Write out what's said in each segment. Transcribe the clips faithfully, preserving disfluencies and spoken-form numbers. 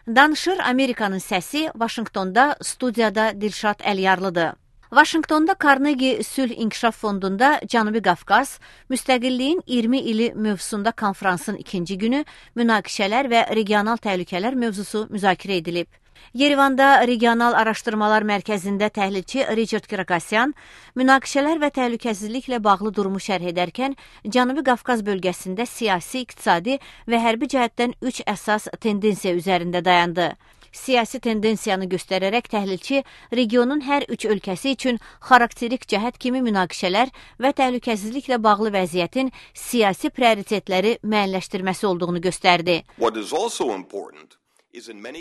Danışır Amerikanın səsi, Vaşinqtonda studiyada Dilşad Əliyarlıdır. Vaşinqtonda Carnegie Sülh İnkişaf Fondunda Cənubi Qafqaz, müstəqilliyin iyirmi ili mövzusunda konfransın ikinci günü münaqişələr və regional təhlükələr mövzusu müzakirə edilib. Yerevanda Regional Araşdırmalar Mərkəzində təhlilçi Richard Kirakosyan münaqişələr və təhlükəsizliklə bağlı durumu şərh edərkən Cənubi Qafqaz bölgəsində siyasi, iqtisadi və hərbi cəhətdən üç əsas tendensiya üzərində dayandı. Siyasi tendensiyanı göstərərək təhlilçi regionun hər üç ölkəsi üçün xarakterik cəhət kimi münaqişələr və təhlükəsizliklə bağlı vəziyyətin siyasi prioritetləri müəyyənləşdirməsi olduğunu göstərdi.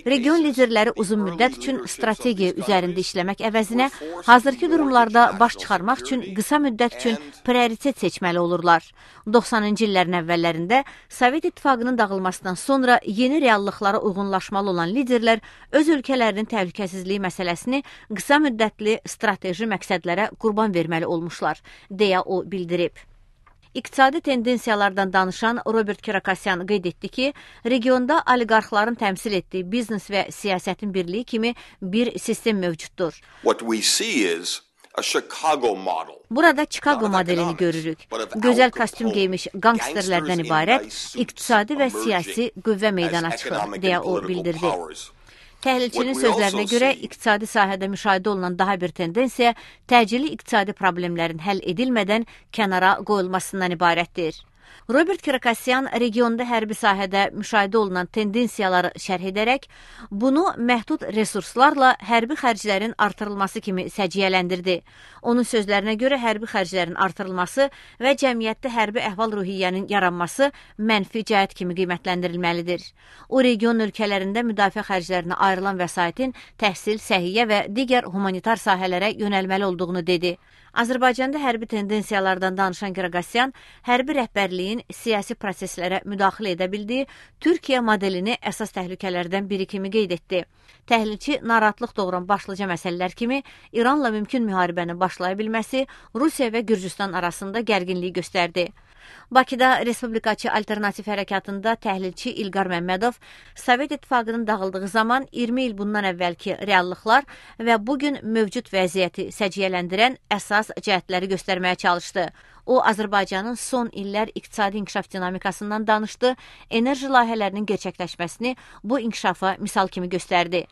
Region liderləri uzun müddət üçün strategiya üzərində işləmək əvəzinə hazırki durumlarda baş çıxarmaq üçün qısa müddət üçün prioritet seçməli olurlar. doxsanıncı illərin əvvəllərində Sovet İttifaqının dağılmasından sonra yeni reallıqlara uyğunlaşmalı olan liderlər öz ölkələrinin təhlükəsizliyi məsələsini qısa müddətli strateji məqsədlərə qurban verməli olmuşlar, deyə o bildirib. İqtisadi tendensiyalardan danışan Robert Kirakosyan qeyd etdi ki, regionda oliqarxların təmsil etdiyi biznes və siyasətin birliyi kimi bir sistem mövcuddur. Burada Chicago modelini görürük. Gözəl kostyum geymiş qangsterlərdən ibarət iqtisadi və siyasi qüvvə meydana çıxır, deyə o bildirdi. Təhlilçinin sözlərinə görə iqtisadi sahədə müşahidə olunan daha bir tendensiya təcili iqtisadi problemlərin həll edilmədən kənara qoyulmasından ibarətdir. Robert Kirakosyan regionda hərbi sahədə müşahidə olunan tendensiyaları şərh edərək, bunu məhdud resurslarla hərbi xərclərin artırılması kimi səciyyələndirdi. Onun sözlərinə görə hərbi xərclərin artırılması və cəmiyyətdə hərbi əhval-ruhiyyənin yaranması mənfi cəhət kimi qiymətləndirilməlidir. O, region ölkələrində müdafiə xərclərinə ayrılan vəsaitin təhsil, səhiyyə və digər humanitar sahələrə yönəlməli olduğunu dedi. Azərbaycanda hərbi tendensiyalardan danışan Kirakosyan, hərbi rəhbərliyin siyasi proseslərə müdaxilə edə bildiyi Türkiyə modelini əsas təhlükələrdən biri kimi qeyd etdi. Təhlilçi narahatlıq doğuran başlıca məsələlər kimi İranla mümkün müharibəni başlaya bilməsi Rusiya və Gürcüstan arasında gərginliyi göstərdi. Bakıda Respublikaçı Alternativ Hərəkatında təhlilçi İlqar Məmmədov Sovet İttifaqının dağıldığı zaman iyirmi il bundan əvvəlki reallıqlar və bugün mövcud vəziyyəti səciyyələndirən əsas cəhətləri göstərməyə çalışdı. O, Azərbaycanın son illər iqtisadi inkişaf dinamikasından danışdı, enerji layihələrinin gerçəkləşməsini bu inkişafa misal kimi göstərdi.